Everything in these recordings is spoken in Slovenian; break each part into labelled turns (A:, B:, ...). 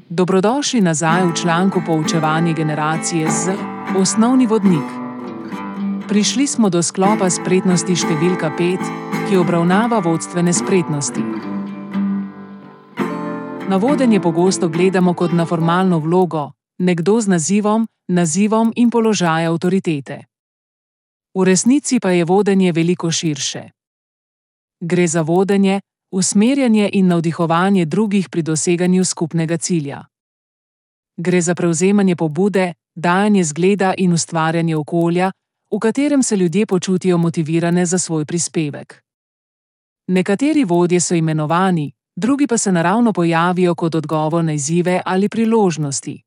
A: Dobrodošli nazaj v članku Poučevanje generacije Z, osnovni vodnik. Prišli smo do sklopa spretnosti številka 5, ki obravnava vodstvene spretnosti. Na vodenje pogosto gledamo kot na formalno vlogo, nekdo z nazivom in položaj avtoritete. V resnici pa je vodenje veliko širše. Gre za vodenje, usmerjanje in navdihovanje drugih pri doseganju skupnega cilja. Gre za prevzemanje pobude, dajanje zgleda in ustvarjanje okolja, v katerem se ljudje počutijo motivirane za svoj prispevek. Nekateri vodje so imenovani, drugi pa se naravno pojavijo kot odgovor na izzive ali priložnosti.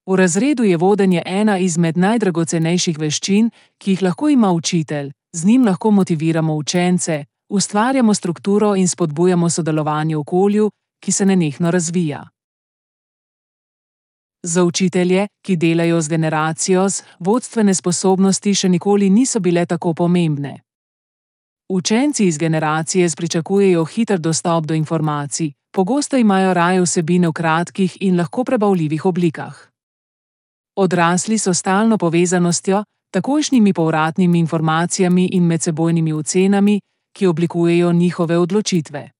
A: V razredu je vodenje ena izmed najdragocenejših veščin, ki jih lahko ima učitelj, z njim lahko motiviramo učence, ustvarjamo strukturo in spodbujamo sodelovanje v okolju, ki se nenehno razvija. Za učitelje, ki delajo z generacijo Z, vodstvene sposobnosti še nikoli niso bile tako pomembne. Učenci iz generacije Z pričakujejo hiter dostop do informacij, pogosto imajo raje vsebine v kratkih in lahko prebavljivih oblikah. Odrasli so stalno povezanostjo, takojšnjimi povratnimi informacijami in medsebojnimi ocenami, ki oblikujejo njihove odločitve.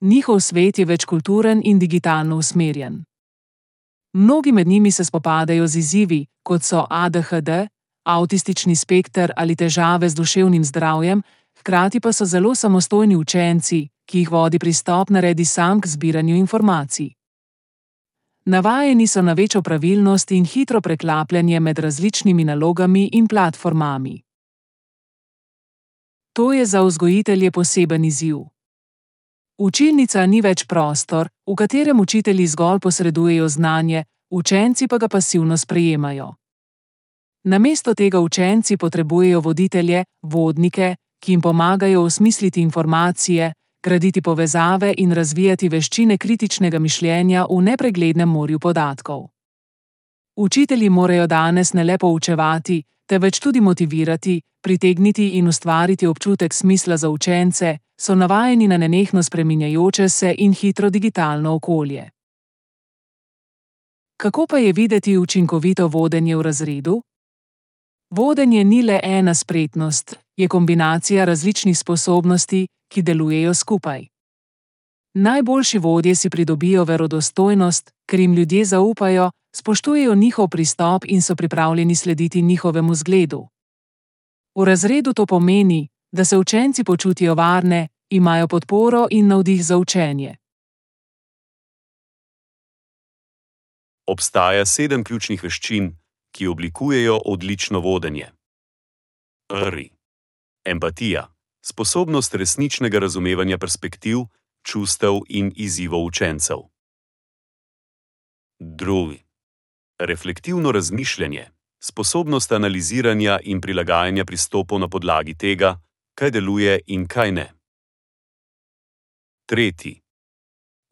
A: Njihov svet je večkulturen in digitalno usmerjen. Mnogi med njimi se spopadajo z izzivi, kot so ADHD, avtistični spekter ali težave z duševnim zdravjem, hkrati pa so zelo samostojni učenci, ki jih vodi pristop naredi sam k zbiranju informacij. Navajeni so na večjo pravilnost in hitro preklapljanje med različnimi nalogami in platformami. To je za vzgojitelje poseben izziv. Učilnica ni več prostor, v katerem učitelji zgolj posredujejo znanje, učenci pa ga pasivno sprejemajo. Namesto tega učenci potrebujejo voditelje, vodnike, ki jim pomagajo osmisliti informacije, graditi povezave in razvijati veščine kritičnega mišljenja v nepreglednem morju podatkov. Učitelji morajo danes ne le poučevati, temveč tudi motivirati, pritegniti in ustvariti občutek smisla za učence, so navajeni na nenehno spreminjajoče se in hitro digitalno okolje. Kako pa je videti učinkovito vodenje v razredu? Vodenje ni le ena spretnost, je kombinacija različnih sposobnosti, ki delujejo skupaj. Najboljši vodje si pridobijo verodostojnost, ker jim ljudje zaupajo, spoštujejo njihov pristop in so pripravljeni slediti njihovemu zgledu. V razredu to pomeni, da se učenci počutijo varne, imajo podporo in navdih za učenje.
B: Obstaja 7 ključnih veščin, ki oblikujejo odlično vodenje. Prvi. Empatija. Sposobnost resničnega razumevanja perspektiv, čustev in izzivov učencev. Drugi. Reflektivno razmišljanje. Sposobnost analiziranja in prilagajanja pristopov na podlagi tega, kaj deluje in kaj ne. Tretji.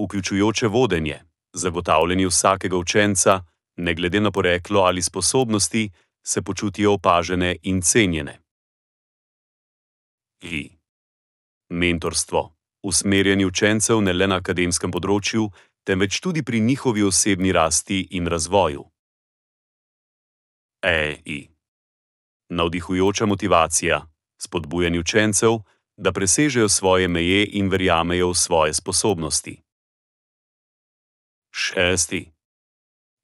B: Vključujoče vodenje. Zagotavljanje vsakega učenca, ne glede na poreklo ali sposobnosti, se počutijo opažene in cenjene. Mentorstvo. Usmerjanje učencev ne le na akademskem področju, temveč tudi pri njihovi osebni rasti in razvoju. Navdihujoča motivacija. Spodbujanje učencev, da presežejo svoje meje in verjamejo v svoje sposobnosti. 6.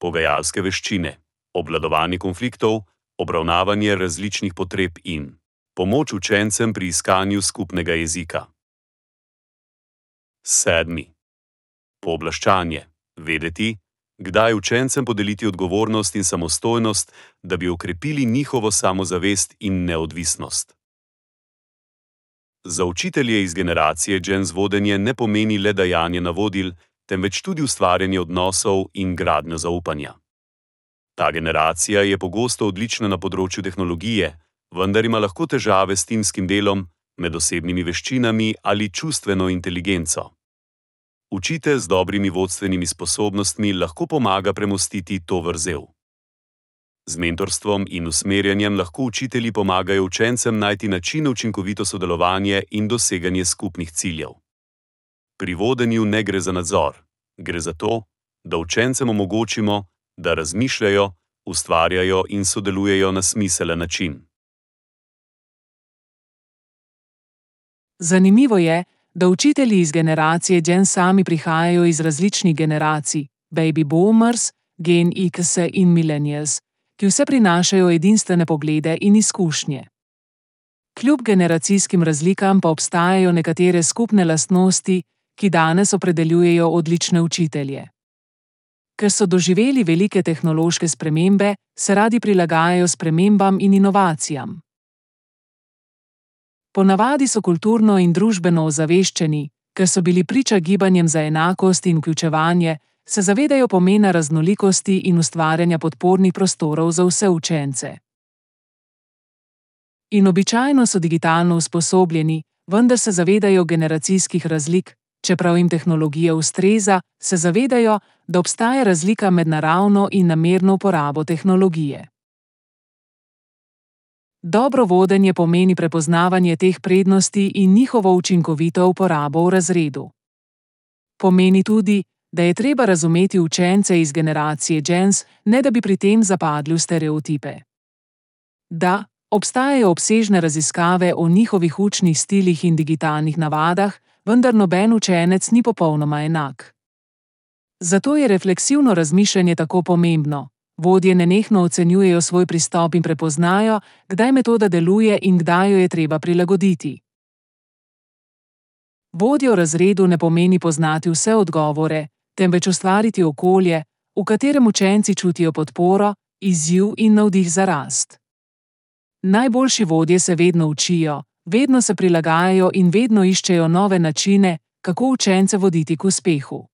B: Pogajalske veščine. Obvladovanje konfliktov, obravnavanje različnih potreb in pomoč učencem pri iskanju skupnega jezika. 7. Pooblaščanje. Vedeti, kdaj učencem podeliti odgovornost in samostojnost, da bi okrepili njihovo samozavest in neodvisnost. Za učitelje iz generacije Gen Z vodenje ne pomeni le dajanje navodil, temveč tudi ustvarjanje odnosov in gradnjo zaupanja. Ta generacija je pogosto odlična na področju tehnologije, vendar ima lahko težave s timskim delom, medosebnimi veščinami ali čustveno inteligenco. Učitelj z dobrimi vodstvenimi sposobnostmi lahko pomaga premostiti to vrzel. Z mentorstvom in usmerjanjem lahko učitelji pomagajo učencem najti načine učinkovito sodelovanje in doseganje skupnih ciljev. Pri vodenju ne gre za nadzor, gre za to, da učencem omogočimo, da razmišljajo, ustvarjajo in sodelujejo na smiselen način.
A: Zanimivo je, da učitelji iz generacije Gen sami prihajajo iz različnih generacij, baby boomers, Gen X in millennials, ki vse prinašajo edinstvene poglede in izkušnje. Kljub generacijskim razlikam pa obstajajo nekatere skupne lastnosti, ki danes opredeljujejo odlične učitelje. Ker so doživeli velike tehnološke spremembe, se radi prilagajajo spremembam in inovacijam. Ponavadi so kulturno in družbeno ozaveščeni, ker so bili priča gibanjem za enakost in vključevanje, se zavedajo pomena raznolikosti in ustvarjanja podpornih prostorov za vse učence. In običajno so digitalno usposobljeni, vendar se zavedajo generacijskih razlik, čeprav jim tehnologija ustreza, se zavedajo, da obstaja razlika med naravno in namerno uporabo tehnologije. Dobro vodenje pomeni prepoznavanje teh prednosti in njihovo učinkovito uporabo v razredu. Pomeni tudi, da je treba razumeti učence iz generacije Gens, ne da bi pri tem zapadli v stereotipe. Da, obstajajo obsežne raziskave o njihovih učnih stilih in digitalnih navadah, vendar noben učenec ni popolnoma enak. Zato je refleksivno razmišljanje tako pomembno. Vodje nenehno ocenjujejo svoj pristop in prepoznajo, kdaj metoda deluje in kdaj jo je treba prilagoditi. Vodja v razredu ne pomeni poznati vse odgovore, temveč ustvariti okolje, v katerem učenci čutijo podporo, izziv in navdih za rast. Najboljši vodje se vedno učijo, vedno se prilagajajo in vedno iščejo nove načine, kako učence voditi k uspehu.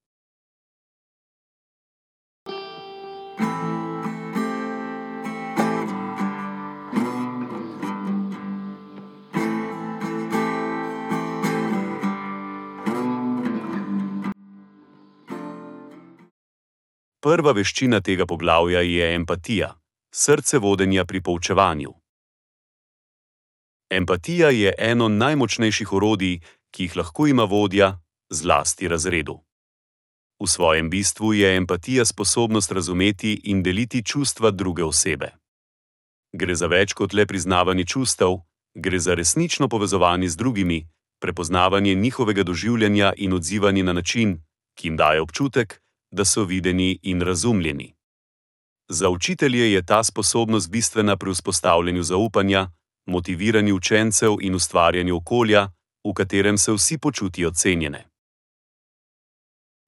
B: Prva veščina tega poglavja je empatija, srce vodenja pri poučevanju. Empatija je eno najmočnejših orodij, ki jih lahko ima vodja, zlasti razredu. V svojem bistvu je empatija sposobnost razumeti in deliti čustva druge osebe. Gre za več kot le priznavanje čustev, gre za resnično povezovanje z drugimi, prepoznavanje njihovega doživljanja in odzivanje na način, ki jim daje občutek, da so videni in razumljeni. Za učitelje je ta sposobnost bistvena pri vzpostavljanju zaupanja, motiviranju učencev in ustvarjanju okolja, v katerem se vsi počutijo cenjene.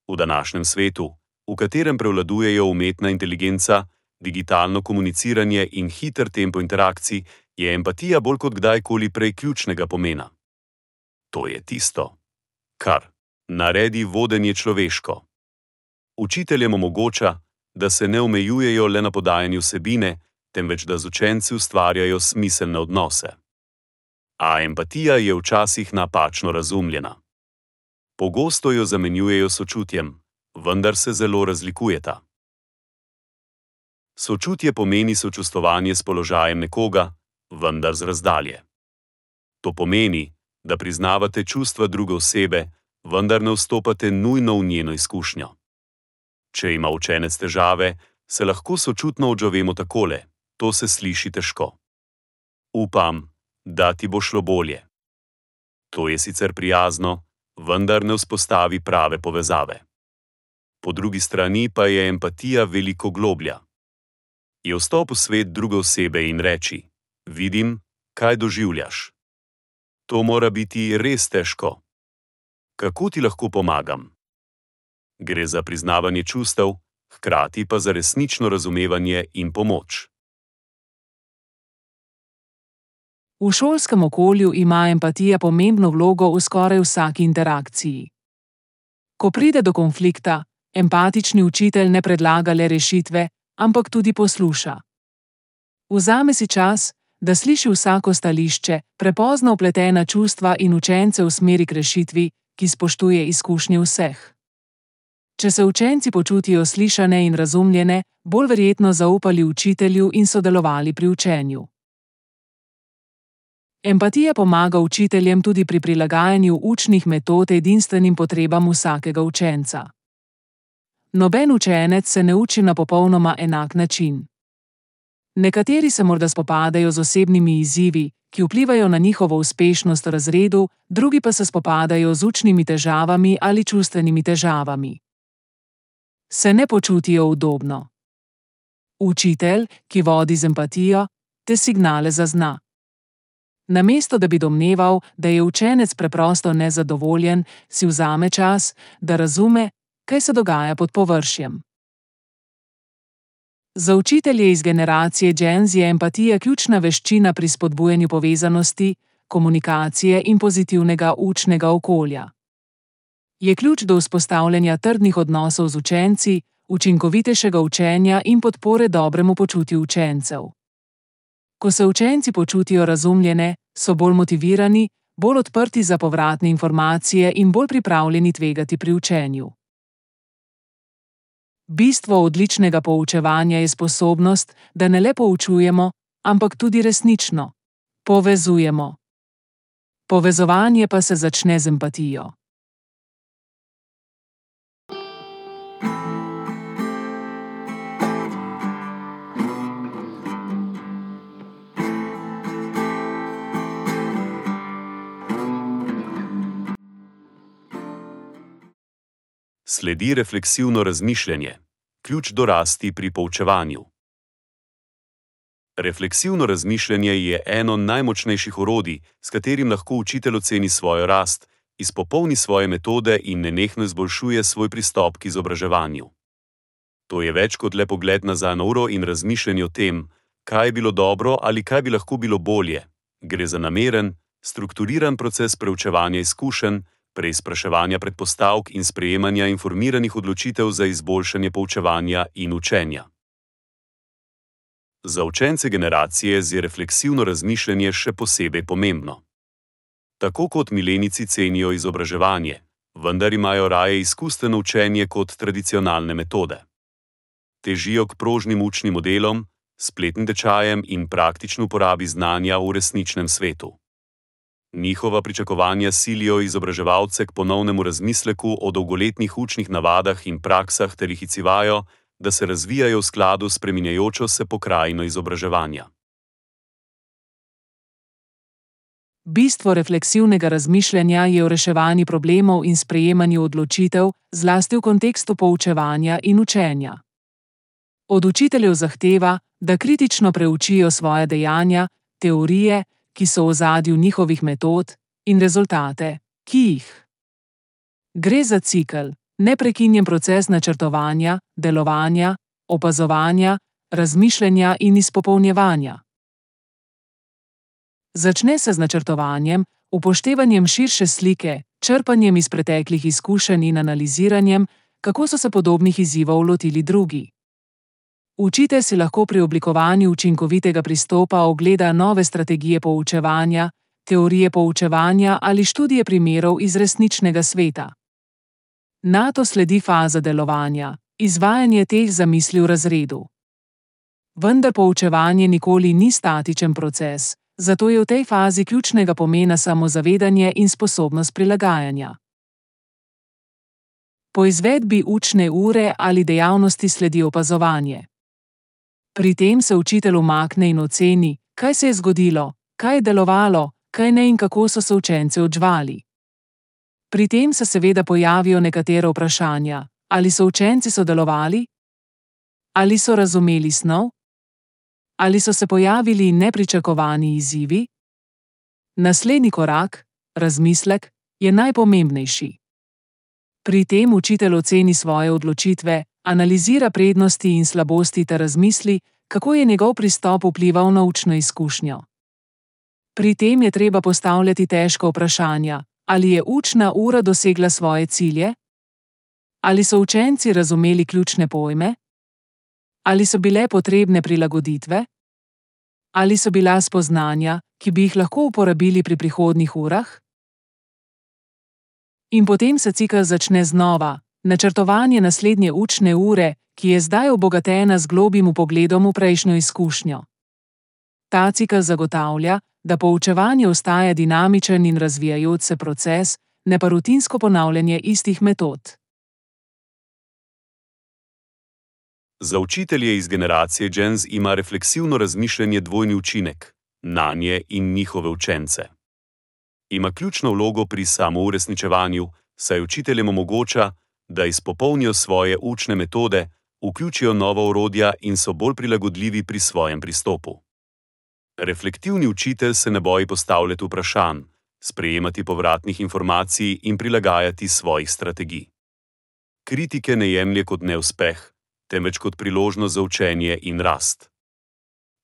B: V današnjem svetu, v katerem prevladujejo umetna inteligenca, digitalno komuniciranje in hiter tempo interakcij, je empatija bolj kot kdajkoli prej ključnega pomena. To je tisto, kar naredi vodenje človeško. Učiteljem omogoča, da se ne omejujejo le na podajanju vsebine, temveč da z učenci ustvarjajo smiselne odnose. A empatija je včasih napačno razumljena. Pogosto jo zamenjujejo s sočutjem, vendar se zelo razlikujeta. Sočutje pomeni sočustvovanje s položajem nekoga, vendar z razdalje. To pomeni, da priznavate čustva druge osebe, vendar ne vstopate nujno v njeno izkušnjo. Če ima učenec težave, se lahko sočutno odzovemo takole: to se sliši težko. Upam, da ti bo šlo bolje. To je sicer prijazno, vendar ne vzpostavi prave povezave. Po drugi strani pa je empatija veliko globlja. Je vstop v svet druge osebe in reči: vidim, kaj doživljaš. To mora biti res težko. Kako ti lahko pomagam? Gre za priznavanje čustev, hkrati pa za resnično razumevanje in pomoč.
A: V šolskem okolju ima empatija pomembno vlogo v skoraj vsaki interakciji. Ko pride do konflikta, empatični učitelj ne predlaga le rešitve, ampak tudi posluša. Vzame si čas, da sliši vsako stališče, prepozno vpletena čustva in učence usmeri k rešitvi, ki spoštuje izkušnje vseh. Če se učenci počutijo slišane in razumljene, bolj verjetno zaupali učitelju in sodelovali pri učenju. Empatija pomaga učiteljem tudi pri prilagajanju učnih metod edinstvenim potrebam vsakega učenca. Noben učenec se ne uči na popolnoma enak način. Nekateri se morda spopadajo z osebnimi izzivi, ki vplivajo na njihovo uspešnost v razredu, drugi pa se spopadajo z učnimi težavami ali čustvenimi težavami. Se ne počutijo udobno. Učitelj, ki vodi z empatijo, te signale zazna. Namesto da bi domneval, da je učenec preprosto nezadovoljen, si vzame čas, da razume, kaj se dogaja pod površjem. Za učitelje iz generacije Gen Z je empatija ključna veščina pri spodbujanju povezanosti, komunikacije in pozitivnega učnega okolja. Je ključ do vzpostavljanja trdnih odnosov z učenci, učinkovitejšega učenja in podpore dobremu počutju učencev. Ko se učenci počutijo razumljene, so bolj motivirani, bolj odprti za povratne informacije in bolj pripravljeni tvegati pri učenju. Bistvo odličnega poučevanja je sposobnost, da ne le poučujemo, ampak tudi resnično povezujemo. Povezovanje pa se začne z empatijo.
B: Sledi refleksivno razmišljanje, ključ do rasti pri poučevanju. Refleksivno razmišljanje je eno najmočnejših orodij, s katerim lahko učitelj oceni svojo rast, izpopolni svoje metode in nenehno izboljšuje svoj pristop k izobraževanju. To je več kot le pogled nazaj na uro in razmišljanje o tem, kaj je bilo dobro ali kaj bi lahko bilo bolje. Gre za nameren, strukturiran proces preučevanja izkušenj, preizpraševanja predpostavk in sprejemanja informiranih odločitev za izboljšanje poučevanja in učenja. Za učence generacije Z je refleksivno razmišljanje še posebej pomembno. Tako kot milenijci cenijo izobraževanje, vendar imajo raje izkustveno učenje kot tradicionalne metode. Težijo k prožnim učnim modelom, spletnim tečajem in praktični uporabi znanja v resničnem svetu. Njihova pričakovanja silijo izobraževalce k ponovnemu razmisleku o dolgoletnih učnih navadah in praksah ter jih izzivajo, da se razvijajo v skladu s spreminjajočo se pokrajino izobraževanja.
A: Bistvo refleksivnega razmišljanja je v reševanju problemov in sprejemanju odločitev, zlasti v kontekstu poučevanja in učenja. Od učiteljev zahteva, da kritično preučijo svoja dejanja, teorije, ki so v ozadju njihovih metod, in rezultate, ki jih. Gre za cikel, neprekinjen proces načrtovanja, delovanja, opazovanja, razmišljanja in izpopolnjevanja. Začne se z načrtovanjem, upoštevanjem širše slike, črpanjem iz preteklih izkušenj in analiziranjem, kako so se podobnih izzivov lotili drugi. Učitelj si lahko pri oblikovanju učinkovitega pristopa ogleda nove strategije poučevanja, teorije poučevanja ali študije primerov iz resničnega sveta. Nato sledi faza delovanja, izvajanje teh zamisli v razredu. Vendar poučevanje nikoli ni statičen proces, zato je v tej fazi ključnega pomena samozavedanje in sposobnost prilagajanja. Po izvedbi učne ure ali dejavnosti sledi opazovanje. Pri tem se učitelj umakne in oceni, kaj se je zgodilo, kaj je delovalo, kaj ne in kako so se učenci odzvali. Pri tem se seveda pojavijo nekatera vprašanja, ali so učenci sodelovali? Ali so razumeli snov? Ali so se pojavili nepričakovani izzivi? Naslednji korak, razmislek, je najpomembnejši. Pri tem učitelj oceni svoje odločitve, analizira prednosti in slabosti ter razmisli, kako je njegov pristop vplival na učno izkušnjo. Pri tem je treba postavljati težka vprašanja, ali je učna ura dosegla svoje cilje? Ali so učenci razumeli ključne pojme? Ali so bile potrebne prilagoditve? Ali so bila spoznanja, ki bi jih lahko uporabili pri prihodnjih urah? In potem se cikel začne znova, načrtovanje naslednje učne ure, ki je zdaj obogatena z globim vpogledom v prejšnjo izkušnjo. Ta cikel zagotavlja, da poučevanje ostaja dinamičen in razvijajoč se proces, ne pa rutinsko ponavljanje istih metod.
B: Za učitelje iz generacije Gen Z ima refleksivno razmišljanje dvojni učinek nanje in njihove učence. Ima ključno vlogo pri samouresničevanju, saj učiteljem omogoča, da izpopolnijo svoje učne metode, vključijo nova orodja in so bolj prilagodljivi pri svojem pristopu. Reflektivni učitelj se ne boji postavljati vprašanj, sprejemati povratnih informacij in prilagajati svojih strategij. Kritike ne jemlje kot neuspeh, temveč kot priložnost za učenje in rast.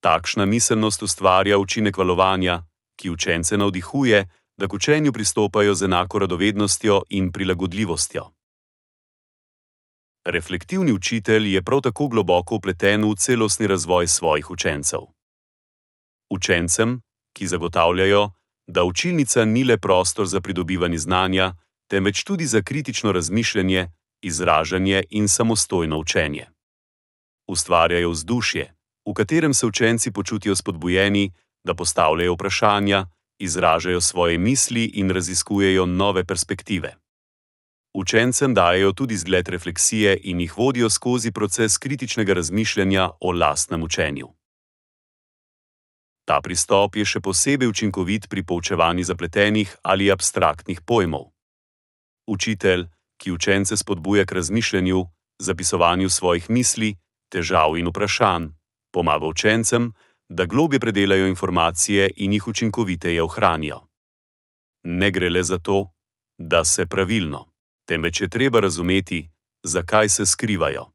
B: Takšna miselnost ustvarja učinek valovanja, ki učence navdihuje, da k učenju pristopajo z enako radovednostjo in prilagodljivostjo. Reflektivni učitelj je prav tako globoko vpleten v celostni razvoj svojih učencev. Učencem, ki zagotavljajo, da učilnica ni le prostor za pridobivanje znanja, temveč tudi za kritično razmišljanje, izražanje in samostojno učenje. Ustvarjajo vzdušje, v katerem se učenci počutijo spodbujeni, da postavljajo vprašanja, izražajo svoje misli in raziskujejo nove perspektive. Učencem dajejo tudi zgled refleksije in jih vodijo skozi proces kritičnega razmišljanja o lastnem učenju. Ta pristop je še posebej učinkovit pri poučevanju zapletenih ali abstraktnih pojmov. Učitelj, ki učence spodbuja k razmišljanju, zapisovanju svojih misli, težav in vprašanj, pomaga učencem, da globje predelajo informacije in jih učinkoviteje ohranijo. Ne gre le za to, da se pravilno, temveč je treba razumeti, zakaj se skrivajo.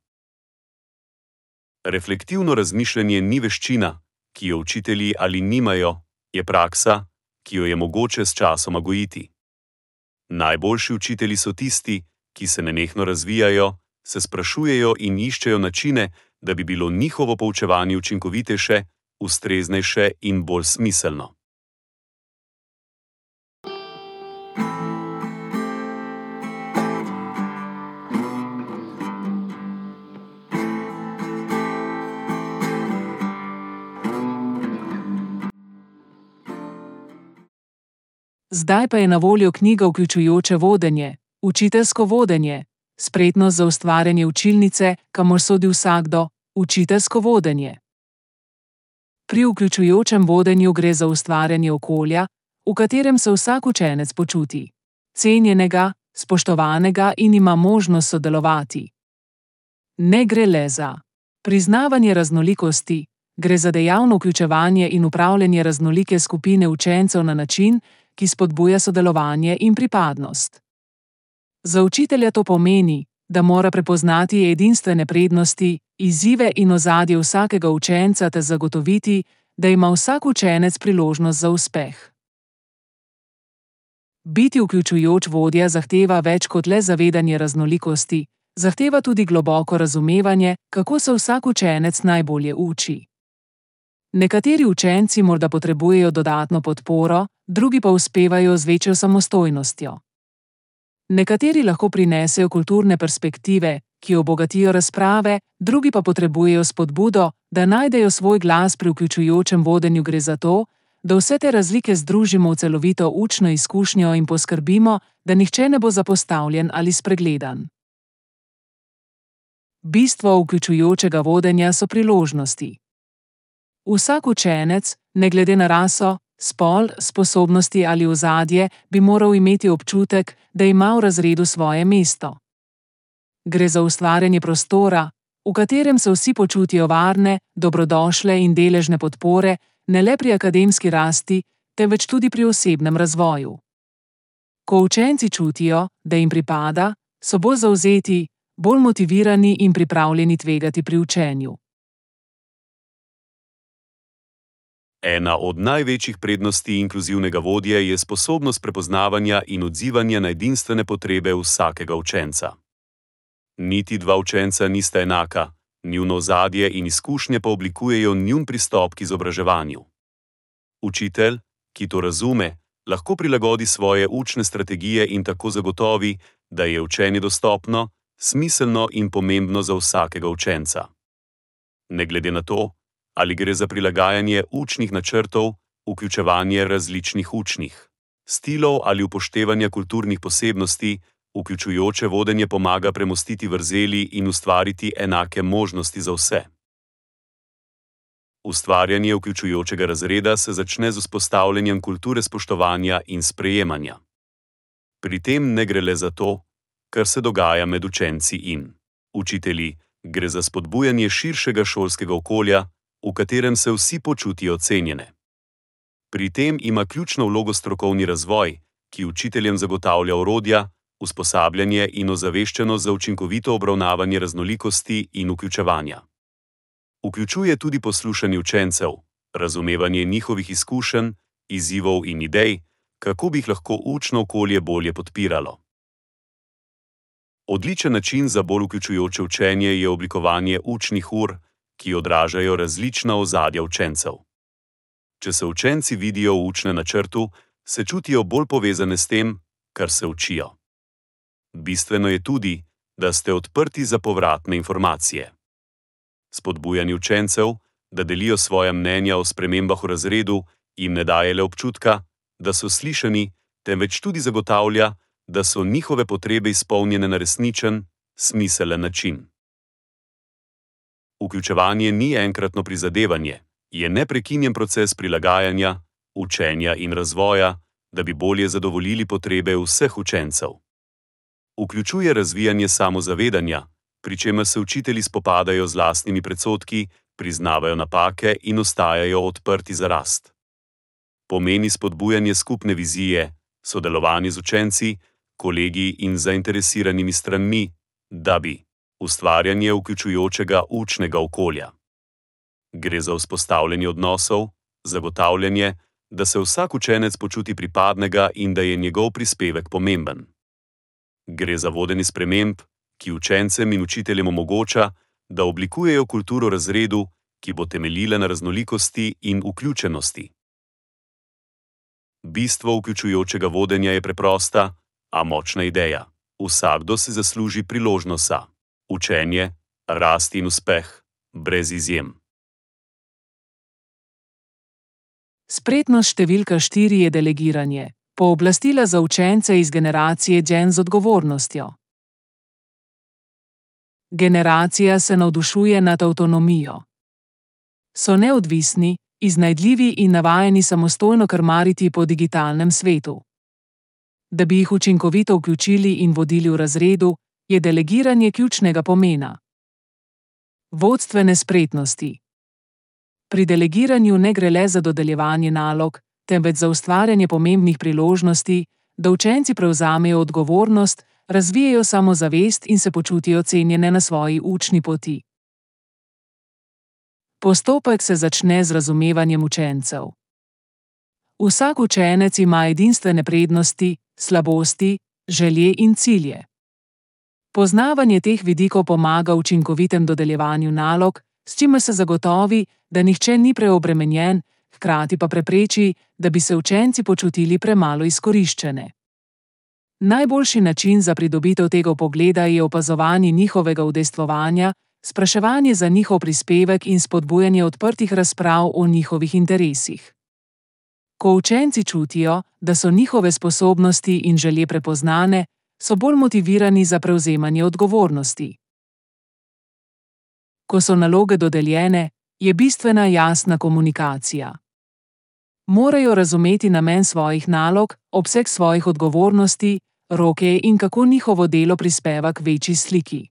B: Reflektivno razmišljanje ni veščina, ki jo učitelji ali nimajo, je praksa, ki jo je mogoče s časoma gojiti. Najboljši učitelji so tisti, ki se nenehno razvijajo, se sprašujejo in iščejo načine, da bi bilo njihovo poučevanje učinkovitejše, ustreznejše in bolj smiselno.
A: Zdaj pa je na voljo knjiga Vključujoče vodenje, učiteljsko vodenje, spretnost za ustvarjanje učilnice, kamor sodi vsakdo, učiteljsko vodenje. Pri vključujočem vodenju gre za ustvarjanje okolja, v katerem se vsak učenec počuti cenjenega, spoštovanega in ima možnost sodelovati. Ne gre le za priznavanje raznolikosti, gre za dejavno vključevanje in upravljanje raznolike skupine učencev na način, ki spodbuja sodelovanje in pripadnost. Za učitelja to pomeni, da mora prepoznati edinstvene prednosti, izzive in ozadje vsakega učenca ter zagotoviti, da ima vsak učenec priložnost za uspeh. Biti vključujoč vodja zahteva več kot le zavedanje raznolikosti, zahteva tudi globoko razumevanje, kako se vsak učenec najbolje uči. Nekateri učenci morda potrebujejo dodatno podporo, drugi pa uspevajo z večjo samostojnostjo. Nekateri lahko prinesejo kulturne perspektive, ki obogatijo razprave, drugi pa potrebujejo spodbudo, da najdejo svoj glas pri vključujočem vodenju. Gre za to, da vse te razlike združimo v celovito učno izkušnjo in poskrbimo, da nihče ne bo zapostavljen ali spregledan. Bistvo vključujočega vodenja so priložnosti. Vsak učenec, ne glede na raso, spol, sposobnosti ali ozadje, bi moral imeti občutek, da ima v razredu svoje mesto. Gre za ustvarjanje prostora, v katerem se vsi počutijo varne, dobrodošle in deležne podpore, ne le pri akademski rasti, temveč tudi pri osebnem razvoju. Ko učenci čutijo, da jim pripada, so bolj zavzeti, bolj motivirani in pripravljeni tvegati pri učenju.
B: Ena od največjih prednosti inkluzivnega vodje je sposobnost prepoznavanja in odzivanja na edinstvene potrebe vsakega učenca. Niti dva učenca nista enaka, njuno ozadje in izkušnje pa oblikujejo njun pristop k izobraževanju. Učitelj, ki to razume, lahko prilagodi svoje učne strategije in tako zagotovi, da je učenje dostopno, smiselno in pomembno za vsakega učenca. Ne glede na to, ali gre za prilagajanje učnih načrtov, vključevanje različnih učnih stilov ali upoštevanje kulturnih posebnosti, Vključujoče vodenje pomaga premostiti vrzeli in ustvariti enake možnosti za vse. Ustvarjanje vključujočega razreda se začne z vzpostavljanjem kulture spoštovanja in sprejemanja. Pri tem ne gre le za to, kar se dogaja med učenci in učitelji, gre za spodbujanje širšega šolskega okolja, v katerem se vsi počutijo cenjene. Pri tem ima ključno vlogo strokovni razvoj, ki učiteljem zagotavlja orodja, usposabljanje in ozaveščenost za učinkovito obravnavanje raznolikosti in vključevanja. Vključuje tudi poslušanje učencev, razumevanje njihovih izkušenj, izzivov in idej, kako bi jih lahko učno okolje bolje podpiralo. Odličen način za bolj vključujoče učenje je oblikovanje učnih ur, ki odražajo različna ozadja učencev. Če se učenci vidijo v učnem načrtu, se čutijo bolj povezane s tem, kar se učijo. Bistveno je tudi, da ste odprti za povratne informacije. Spodbujanje učencev, da delijo svoja mnenja o spremembah v razredu, jim ne daje le občutka, da so slišani, temveč tudi zagotavlja, da so njihove potrebe izpolnjene na resničen, smiselen način. Vključevanje ni enkratno prizadevanje, je neprekinjen proces prilagajanja, učenja in razvoja, da bi bolje zadovoljili potrebe vseh učencev. Vključuje razvijanje samozavedanja, pri čemer se učitelji spopadajo z lastnimi predsodki, priznavajo napake in ostajajo odprti za rast. Pomeni spodbujanje skupne vizije, sodelovanje z učenci, kolegi in zainteresiranimi stranmi, da bi ustvarjanje vključujočega učnega okolja. Gre za vzpostavljanje odnosov, zagotavljanje, da se vsak učenec počuti pripadnega in da je njegov prispevek pomemben. Gre za vodenje sprememb, ki učencem in učiteljem omogoča, da oblikujejo kulturo razredu, ki bo temeljila na raznolikosti in vključenosti. Bistvo vključujočega vodenja je preprosta, a močna ideja. Vsakdo si zasluži priložnost za učenje, rast in uspeh, brez izjem.
A: Spretnost številka 4 je delegiranje. Pooblastila za učence iz generacije Gen z odgovornostjo. Generacija se navdušuje nad avtonomijo. So neodvisni, iznajdljivi in navajeni samostojno krmariti po digitalnem svetu. Da bi jih učinkovito vključili in vodili v razredu, je delegiranje ključnega pomena. Vodstvene spretnosti. Pri delegiranju ne gre le za dodeljevanje nalog, temveč za ustvarjanje pomembnih priložnosti, da učenci prevzamejo odgovornost, razvijejo samozavest in se počutijo cenjene na svoji učni poti. Postopek se začne z razumevanjem učencev. Vsak učenec ima edinstvene prednosti, slabosti, želje in cilje. Poznavanje teh vidikov pomaga učinkovitem dodeljevanju nalog, s čimer se zagotovi, da nihče ni preobremenjen, hkrati pa prepreči, da bi se učenci počutili premalo izkoriščene. Najboljši način za pridobitev tega vpogleda je opazovanje njihovega udejstvovanja, spraševanje za njihov prispevek in spodbujanje odprtih razprav o njihovih interesih. Ko učenci čutijo, da so njihove sposobnosti in želje prepoznane, so bolj motivirani za prevzemanje odgovornosti. Ko so naloge dodeljene, je bistvena jasna komunikacija. Morajo razumeti namen svojih nalog, obseg svojih odgovornosti, roke in kako njihovo delo prispeva k večji sliki.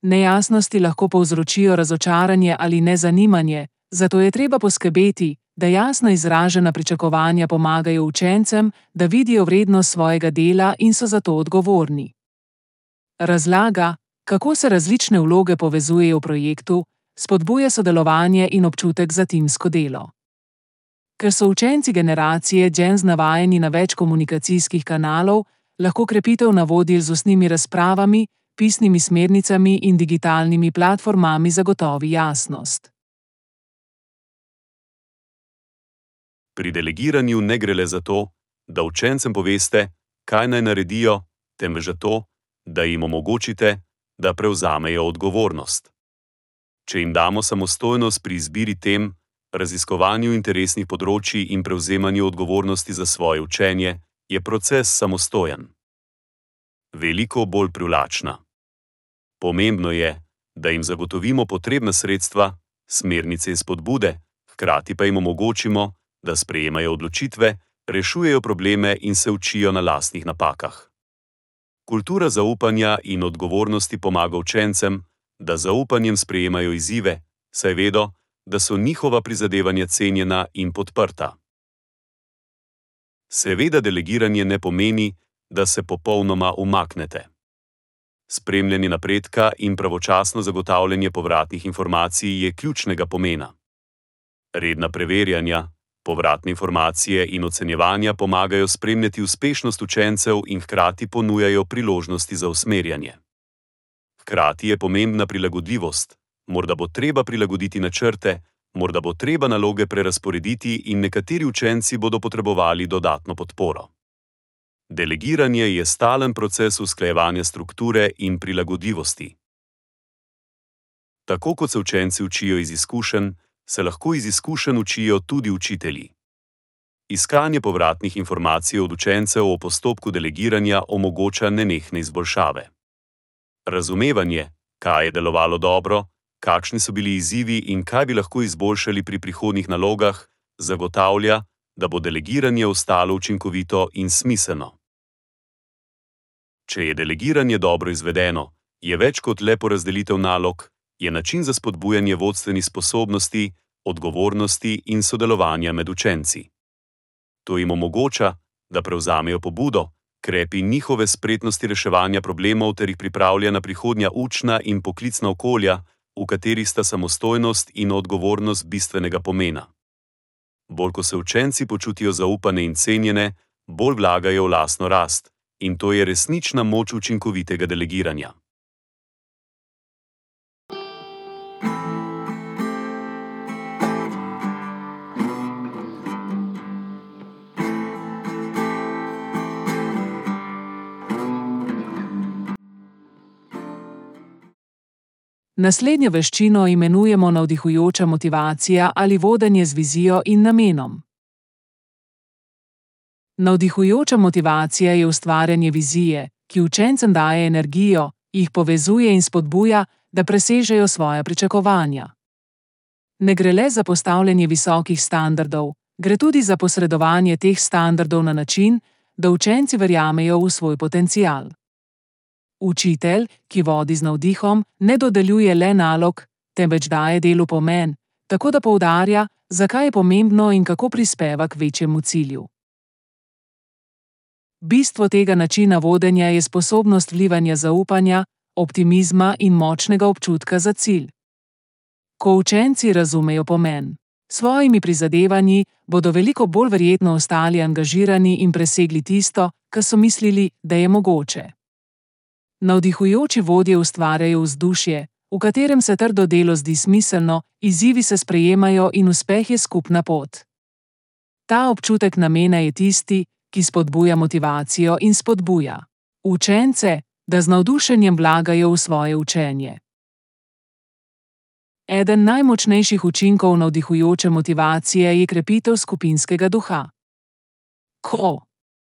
A: Nejasnosti lahko povzročijo razočaranje ali nezanimanje, zato je treba poskrbeti, da jasno izražena pričakovanja pomagajo učencem, da vidijo vrednost svojega dela in so za to odgovorni. Razlaga, kako se različne vloge povezujejo v projektu, spodbuja sodelovanje in občutek za timsko delo. Ker so učenci generacije Gen Z navajeni na več komunikacijskih kanalov, lahko krepitev navodil z ustnimi razpravami, pisnimi smernicami in digitalnimi platformami zagotovi jasnost.
B: Pri delegiranju ne gre le za to, da učencem poveste, kaj naj naredijo, temveč za to, da jim omogočite, da prevzamejo odgovornost. Če jim damo samostojnost pri izbiri tem, raziskovanju interesnih področij in prevzemanju odgovornosti za svoje učenje, je proces samostojen. veliko bolj privlačna. Pomembno je, da jim zagotovimo potrebna sredstva, smernice in spodbude, hkrati pa jim omogočimo, da sprejemajo odločitve, rešujejo probleme in se učijo na lastnih napakah. Kultura zaupanja in odgovornosti pomaga učencem, da z zaupanjem sprejemajo izzive, saj vedo, da so njihova prizadevanja cenjena in podprta. Seveda delegiranje ne pomeni, da se popolnoma umaknete. Spremljanje napredka in pravočasno zagotavljanje povratnih informacij je ključnega pomena. Redna preverjanja, povratne informacije in ocenjevanja pomagajo spremljati uspešnost učencev in hkrati ponujajo priložnosti za usmerjanje. Hkrati je pomembna prilagodljivost, morda bo treba prilagoditi načrte, morda bo treba naloge prerazporediti in nekateri učenci bodo potrebovali dodatno podporo. Delegiranje je stalen proces usklajevanja strukture in prilagodljivosti. Tako kot se učenci učijo iz izkušenj, se lahko iz izkušenj učijo tudi učitelji. Iskanje povratnih informacij od učencev o postopku delegiranja omogoča nenehne izboljšave. Razumevanje, kaj je delovalo dobro, kakšni so bili izzivi in kaj bi lahko izboljšali pri prihodnjih nalogah, zagotavlja, da bo delegiranje ostalo učinkovito in smiselno. Če je delegiranje dobro izvedeno, je več kot le porazdelitev nalog, je način za spodbujanje vodstvenih sposobnosti, odgovornosti in sodelovanja med učenci. To jim omogoča, da prevzamejo pobudo, krepi njihove spretnosti reševanja problemov ter jih pripravlja na prihodnja učna in poklicna okolja, v katerih sta samostojnost in odgovornost bistvenega pomena. Bolj ko se učenci počutijo zaupane in cenjene, bolj vlagajo v lastno rast, in to je resnična moč učinkovitega delegiranja.
A: Naslednjo veščino imenujemo navdihujoča motivacija ali vodenje z vizijo in namenom. Navdihujoča motivacija je ustvarjanje vizije, ki učencem daje energijo, jih povezuje in spodbuja, da presežejo svoja pričakovanja. Ne gre le za postavljanje visokih standardov, gre tudi za posredovanje teh standardov na način, da učenci verjamejo v svoj potencial. Učitelj, ki vodi z navdihom, ne dodeljuje le nalog, temveč daje delu pomen, tako da poudarja, zakaj je pomembno in kako prispeva k večjemu cilju. Bistvo tega načina vodenja je sposobnost vlivanja zaupanja, optimizma in močnega občutka za cilj. Ko učenci razumejo pomen svojimi prizadevanji, bodo veliko bolj verjetno ostali angažirani in presegli tisto, kar so mislili, da je mogoče. Navdihujoči vodje ustvarjajo vzdušje, v katerem se trdo delo zdi smiselno, izzivi se sprejemajo in uspeh je skupna pot. Ta občutek namena je tisti, ki spodbuja motivacijo in spodbuja učence, da z navdušenjem vlagajo v svoje učenje. Eden najmočnejših učinkov navdihujoče motivacije je krepitev skupinskega duha. Ko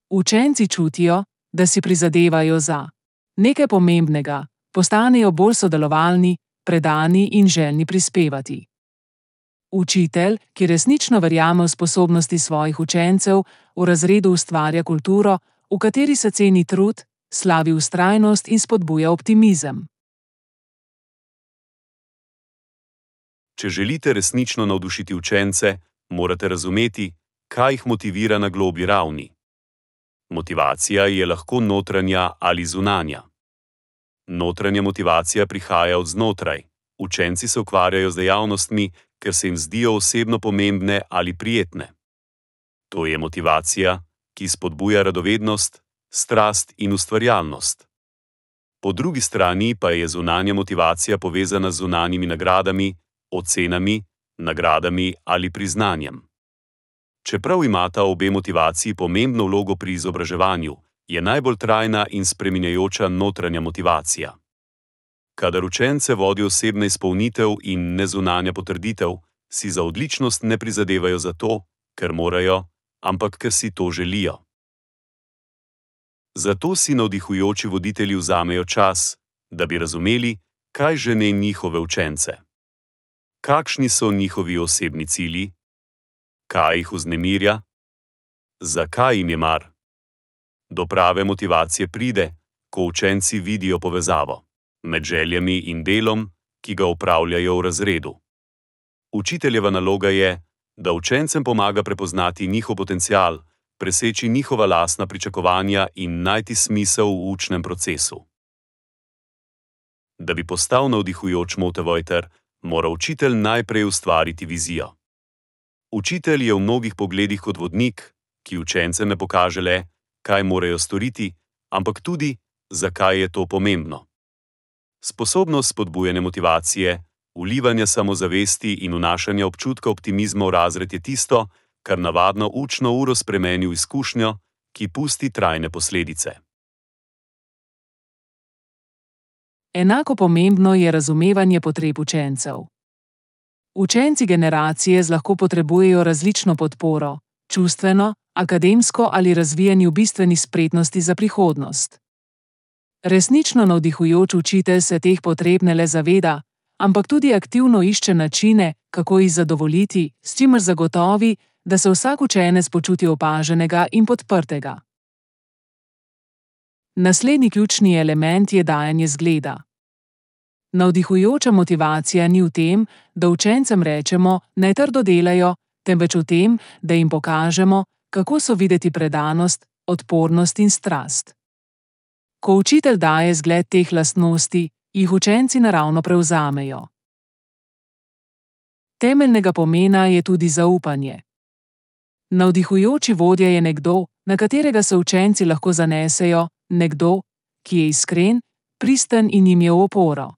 A: učenci čutijo, da si prizadevajo za nekaj pomembnega, postanejo bolj sodelovalni, predani in željni prispevati. Učitelj, ki resnično verjame v sposobnosti svojih učencev, v razredu ustvarja kulturo, v kateri se ceni trud, slavi vztrajnost in spodbuja optimizem.
B: Če želite resnično navdušiti učence, morate razumeti, kaj jih motivira na globlji ravni. Motivacija je lahko notranja ali zunanja. Notranja motivacija prihaja od znotraj. Učenci se ukvarjajo z dejavnostmi, ker se jim zdijo osebno pomembne ali prijetne. To je motivacija, ki spodbuja radovednost, strast in ustvarjalnost. Po drugi strani pa je zunanja motivacija povezana z zunanjimi nagradami, ocenami, nagradami ali priznanjem. Čeprav imata obe motivaciji pomembno vlogo pri izobraževanju, je najbolj trajna in spreminjajoča notranja motivacija. Kadar učence vodi osebna izpolnitev in ne zunanja potrditev, si za odličnost ne prizadevajo zato, ker morajo, ampak ker si to želijo. Zato si navdihujoči voditelji vzamejo čas, da bi razumeli, kaj žene njihove učence. Kakšni so njihovi osebni cilji? Kaj jih vznemirja? Zakaj jim je mar? Do prave motivacije pride, ko učenci vidijo povezavo med željami in delom, ki ga opravljajo v razredu. Učiteljeva naloga je, da učencem pomaga prepoznati njihov potencial, preseči njihova lastna pričakovanja in najti smisel v učnem procesu. Da bi postal navdihujoč motivator, mora učitelj najprej ustvariti vizijo. Učitelj je v mnogih pogledih kot vodnik, ki učencem ne pokaže le, kaj morajo storiti, ampak tudi, zakaj je to pomembno. Sposobnost spodbujanja motivacije, vlivanja samozavesti in vnašanja občutka optimizma v razred je tisto, kar navadno učno uro spremeni v izkušnjo, ki pusti trajne posledice.
A: Enako pomembno je razumevanje potreb učencev. Učenci generacije lahko potrebujejo različno podporo, čustveno, akademsko ali razvijanju bistvenih spretnosti za prihodnost. Resnično navdihujoč učitelj se teh potreb ne le zaveda, ampak tudi aktivno išče načine, kako jih zadovoljiti, s čimer zagotovi, da se vsak učenec počuti opaženega in podprtega. Naslednji ključni element je dajanje zgleda. Navdihujoča motivacija ni v tem, da učencem rečemo, naj trdo delajo, temveč v tem, da jim pokažemo, kako so videti predanost, odpornost in strast. Ko učitelj daje zgled teh lastnosti, jih učenci naravno prevzamejo. Temeljnega pomena je tudi zaupanje. Navdihujoči vodja je nekdo, na katerega se učenci lahko zanesejo, nekdo, ki je iskren, pristen in jim je v oporo.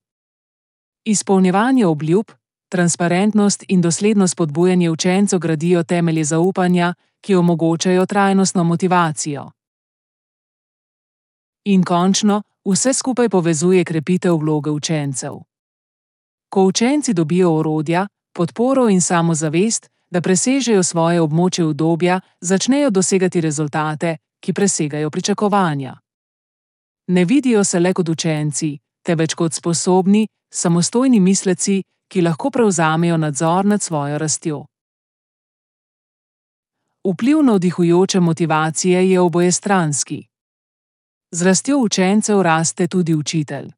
A: Izpolnjevanje obljub, transparentnost in dosledno spodbujanje učencev gradijo temelje zaupanja, ki omogočajo trajnostno motivacijo. In končno, vse skupaj povezuje krepitev vloge učencev. Ko učenci dobijo orodja, podporo in samozavest, da presežejo svoje območje udobja, začnejo dosegati rezultate, ki presegajo pričakovanja. Ne vidijo se le kot učenci, temveč kot sposobni, samostojni misleci, ki lahko prevzamejo nadzor nad svojo rastjo. Vpliv navdihujoče motivacije je obojestranski. Z rastjo učencev raste tudi učitelj.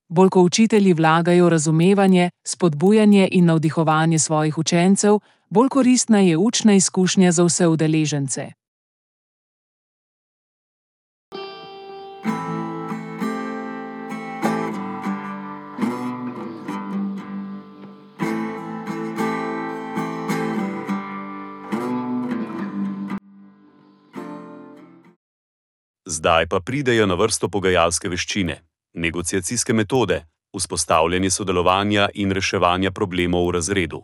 A: Bolj ko učitelji vlagajo razumevanje, spodbujanje in navdihovanje svojih učencev, bolj koristna je učna izkušnja za vse udeležence.
B: Zdaj pa pridejo na vrsto pogajalske veščine, negociacijske metode, vzpostavljanje sodelovanja in reševanja problemov v razredu.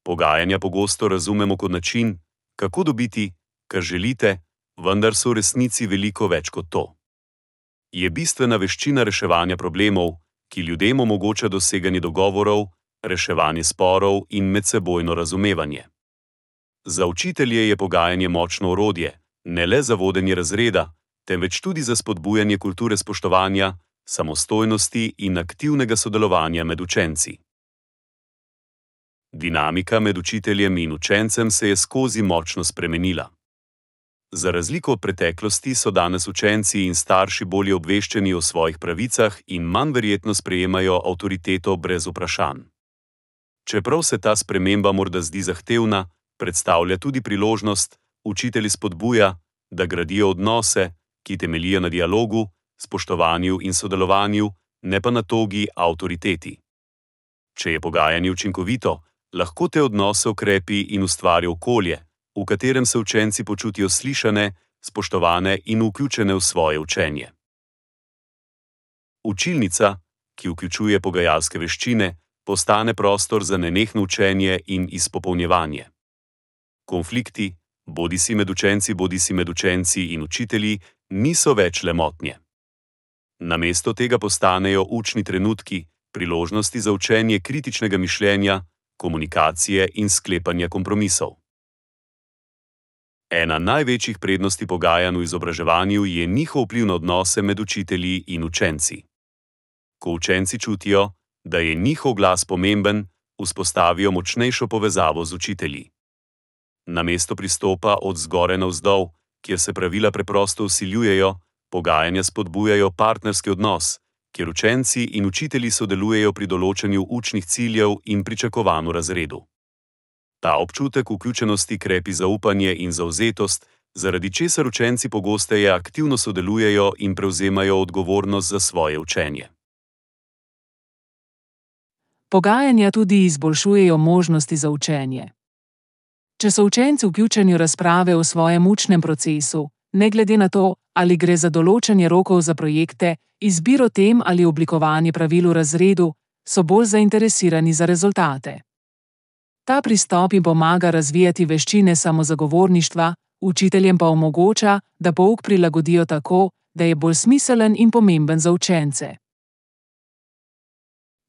B: Pogajanja pogosto razumemo kot način, kako dobiti, kar želite, vendar so v resnici veliko več kot to. Je bistvena veščina reševanja problemov, ki ljudem omogoča doseganje dogovorov, reševanje sporov in medsebojno razumevanje. Za učitelje je pogajanje močno orodje, ne le za vodenje razreda, temveč tudi za spodbujanje kulture spoštovanja, samostojnosti in aktivnega sodelovanja med učenci. Dinamika med učiteljem in učencem se je skozi močno spremenila. Za razliko od preteklosti so danes učenci in starši bolje obveščeni o svojih pravicah in manj verjetno sprejemajo avtoriteto brez vprašanj. Čeprav se ta sprememba morda zdi zahtevna, predstavlja tudi priložnost, učitelji spodbuja, da gradijo odnose, ki temeljijo na dialogu, spoštovanju in sodelovanju, ne pa na togi avtoriteti. Če je pogajanje učinkovito, lahko te odnose okrepi in ustvari okolje, v katerem se učenci počutijo slišane, spoštovane in vključene v svoje učenje. Učilnica, ki vključuje pogajalske veščine, postane prostor za nenehno učenje in izpopolnjevanje. Konflikti, bodisi med učenci in učitelji, niso več le motnje. Namesto tega postanejo učni trenutki, priložnosti za učenje kritičnega mišljenja, komunikacije in sklepanja kompromisov. Ena največjih prednosti pogajanj v izobraževanju je njihov vpliv na odnose med učitelji in učenci. Ko učenci čutijo, da je njihov glas pomemben, vzpostavijo močnejšo povezavo z učitelji. Namesto pristopa od zgoraj navzdol, kjer se pravila preprosto vsiljujejo, pogajanja spodbujajo partnerski odnos, kjer učenci in učitelji sodelujejo pri določanju učnih ciljev in pričakovanj v razredu. Ta občutek vključenosti krepi zaupanje in zavzetost, zaradi česar učenci pogosteje aktivno sodelujejo in prevzemajo odgovornost za svoje učenje.
A: Pogajanja tudi izboljšujejo možnosti za učenje. Če so učenci vključeni v razprave o svojem učnem procesu, ne glede na to, ali gre za določanje rokov za projekte, izbiro tem ali oblikovanje pravil v razredu, so bolj zainteresirani za rezultate. Ta pristop jim pomaga razvijati veščine samozagovorništva, učiteljem pa omogoča, da pouk prilagodijo tako, da je bolj smiselen in pomemben za učence.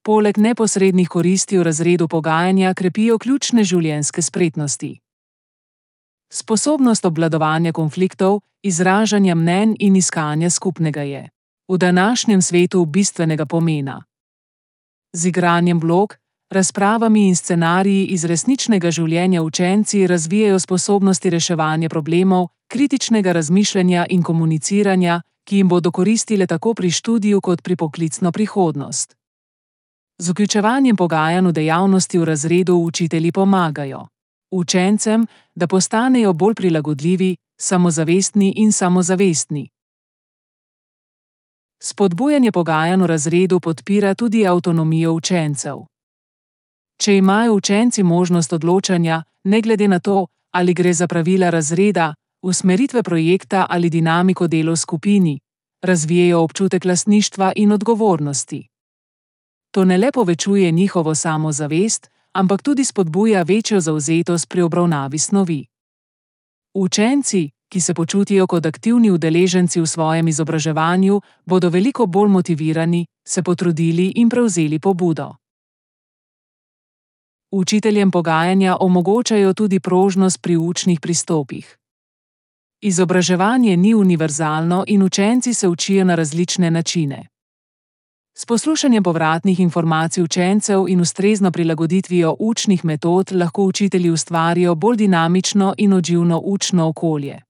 A: Poleg neposrednih koristi v razredu pogajanja krepijo ključne življenjske spretnosti. Sposobnost obvladovanja konfliktov, izražanja mnenj in iskanja skupnega je v današnjem svetu bistvenega pomena. Z igranjem vlog, razpravami in scenariji iz resničnega življenja učenci razvijajo sposobnosti reševanja problemov, kritičnega razmišljanja in komuniciranja, ki jim bodo koristile tako pri študiju kot pri poklicno prihodnost. Z vključevanjem pogajanj v dejavnosti v razredu učitelji pomagajo učencem, da postanejo bolj prilagodljivi, samozavestni in samozavestni. Spodbujanje pogajanj v razredu podpira tudi avtonomijo učencev. Če imajo učenci možnost odločanja, ne glede na to, ali gre za pravila razreda, usmeritve projekta ali dinamiko dela v skupini, razvijejo občutek lastništva in odgovornosti. To ne le povečuje njihovo samozavest, ampak tudi spodbuja večjo zavzetost pri obravnavi snovi. Učenci, ki se počutijo kot aktivni udeleženci v svojem izobraževanju, bodo veliko bolj motivirani, se potrudili in prevzeli pobudo. Učiteljem pogajanja omogočajo tudi prožnost pri učnih pristopih. Izobraževanje ni univerzalno in učenci se učijo na različne načine. S poslušanjem povratnih informacij učencev in ustrezno prilagoditvijo učnih metod lahko učitelji ustvarijo bolj dinamično in odzivno učno okolje.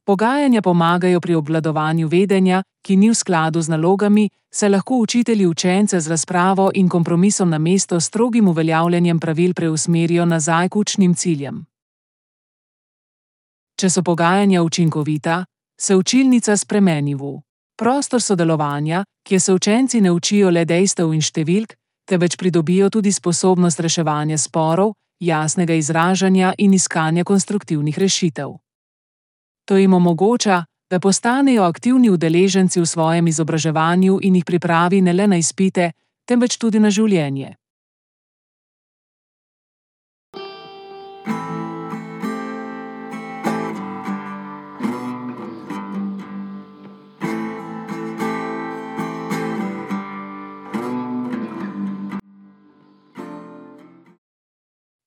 A: Pogajanja pomagajo pri obvladovanju vedenja, ki ni v skladu z nalogami, saj lahko učitelji učence z razpravo in kompromisom namesto strogim uveljavljanjem pravil preusmerijo nazaj k učnim ciljem. Če so pogajanja učinkovita, se učilnica spremeni v prostor sodelovanja, kjer se učenci ne učijo le dejstev in številk, temveč pridobijo tudi sposobnost reševanja sporov, jasnega izražanja in iskanja konstruktivnih rešitev. To jim omogoča, da postanejo aktivni udeleženci v svojem izobraževanju in jih pripravi ne le na izpite, temveč tudi na življenje.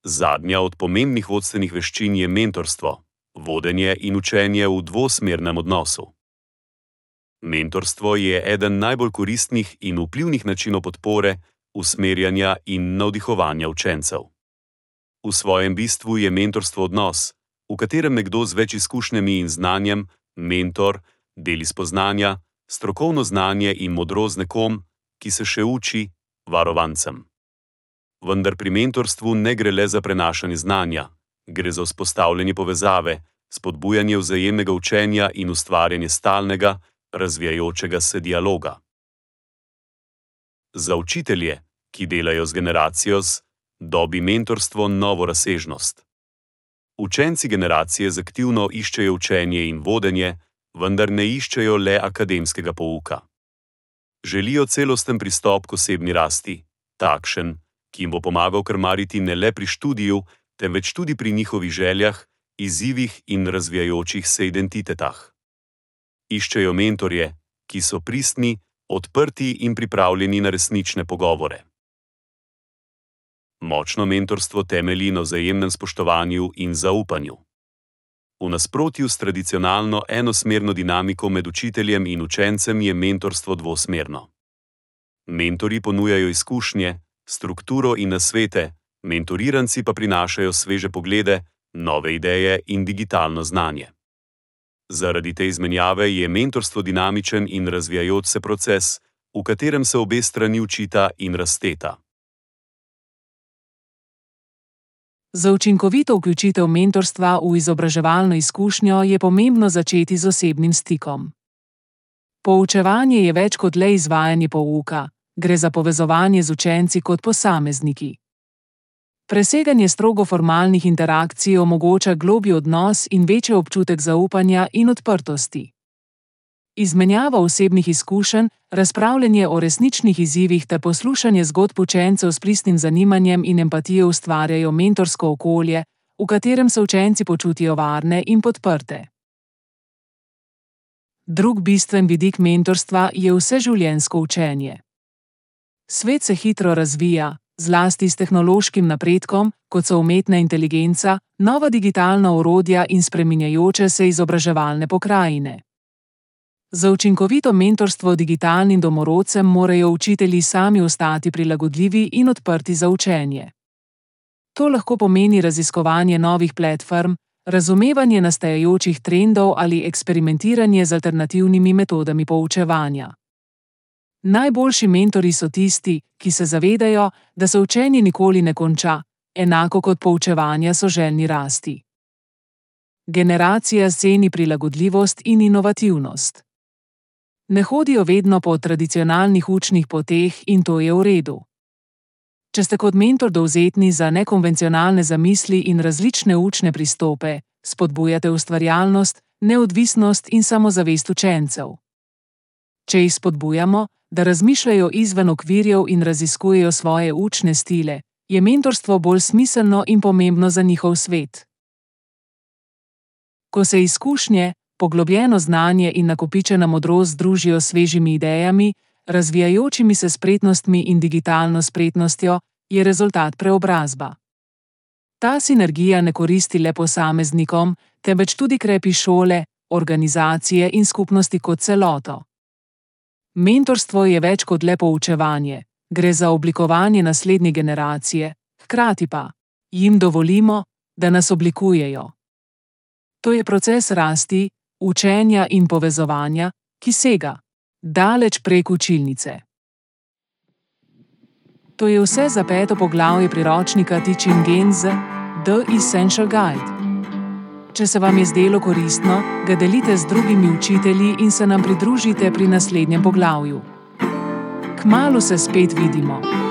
B: Zadnja od pomembnih vodstvenih veščin je mentorstvo, vodenje in učenje v dvosmernem odnosu. Mentorstvo je eden najbolj koristnih in vplivnih načinov podpore, usmerjanja in navdihovanja učencev. V svojem bistvu je mentorstvo odnos, v katerem nekdo z več izkušnjami in znanjem, mentor, deli spoznanja, strokovno znanje in modrost z nekom, ki se še uči, varovancem. Vendar pri mentorstvu ne gre le za prenašanje znanja, gre za vzpostavljanje povezave, spodbujanje vzajemnega učenja in ustvarjanje stalnega, razvijajočega se dialoga. Za učitelje, ki delajo z generacijo Z, dobi mentorstvo novo razsežnost. Učenci generacije Z aktivno iščejo učenje in vodenje, vendar ne iščejo le akademskega pouka. Želijo celosten pristop k osebni rasti, takšen, ki jim bo pomagal krmariti ne le pri študiju, temveč tudi pri njihovih željah, izzivih in razvijajočih se identitetah. Iščejo mentorje, ki so pristni, odprti in pripravljeni na resnične pogovore. Močno mentorstvo temelji na vzajemnem spoštovanju in zaupanju. V nasprotju s tradicionalno enosmerno dinamiko med učiteljem in učencem je mentorstvo dvosmerno. Mentori ponujajo izkušnje, strukturo in nasvete, mentoriranci pa prinašajo sveže poglede, nove ideje in digitalno znanje. Zaradi te izmenjave je mentorstvo dinamičen in razvijajoč se proces, v katerem se obe strani učita in rasteta.
A: Za učinkovito vključitev mentorstva v izobraževalno izkušnjo je pomembno začeti z osebnim stikom. Poučevanje je več kot le izvajanje pouka, gre za povezovanje z učenci kot posamezniki. Preseganje strogo formalnih interakcij omogoča globlji odnos in večji občutek zaupanja in odprtosti. Izmenjava osebnih izkušenj, razpravljanje o resničnih izzivih ter poslušanje zgodb učencev s pristnim zanimanjem in empatijo ustvarjajo mentorsko okolje, v katerem se učenci počutijo varne in podprte. Drug bistven vidik mentorstva je vseživljenjsko učenje. Svet se hitro razvija, zlasti s tehnološkim napredkom, kot so umetna inteligenca, nova digitalna orodja in spreminjajoče se izobraževalne pokrajine. Za učinkovito mentorstvo digitalnim domorodcem morajo učitelji sami ostati prilagodljivi in odprti za učenje. To lahko pomeni raziskovanje novih platform, razumevanje nastajajočih trendov ali eksperimentiranje z alternativnimi metodami poučevanja. Najboljši mentori so tisti, ki se zavedajo, da se učenje nikoli ne konča, enako kot poučevanja so željni rasti. Generacija ceni prilagodljivost in inovativnost. Ne hodijo vedno po tradicionalnih učnih poteh in to je v redu. Če ste kot mentor dovzetni za nekonvencionalne zamisli in različne učne pristope, spodbujate ustvarjalnost, neodvisnost in samozavest učencev. Če jih spodbujamo, da razmišljajo izven okvirjev in raziskujejo svoje učne stile, je mentorstvo bolj smiselno in pomembno za njihov svet. Ko se izkušnje, poglobljeno znanje in nakopičena modrost združijo s svežimi idejami, razvijajočimi se spretnostmi in digitalno spretnostjo, je rezultat preobrazba. Ta sinergija ne koristi le posameznikom, temveč tudi krepi šole, organizacije in skupnosti kot celoto. Mentorstvo je več kot le poučevanje, gre za oblikovanje naslednje generacije, hkrati pa jim dovolimo, da nas oblikujejo. To je proces rasti, učenja in povezovanja, ki sega daleč prek učilnice. To je vse za 5. poglavje priročnika Teaching Gains, The Essential Guide. Če se vam je zdelo koristno, ga delite z drugimi učitelji in se nam pridružite pri naslednjem poglavju. Kmalu se spet vidimo.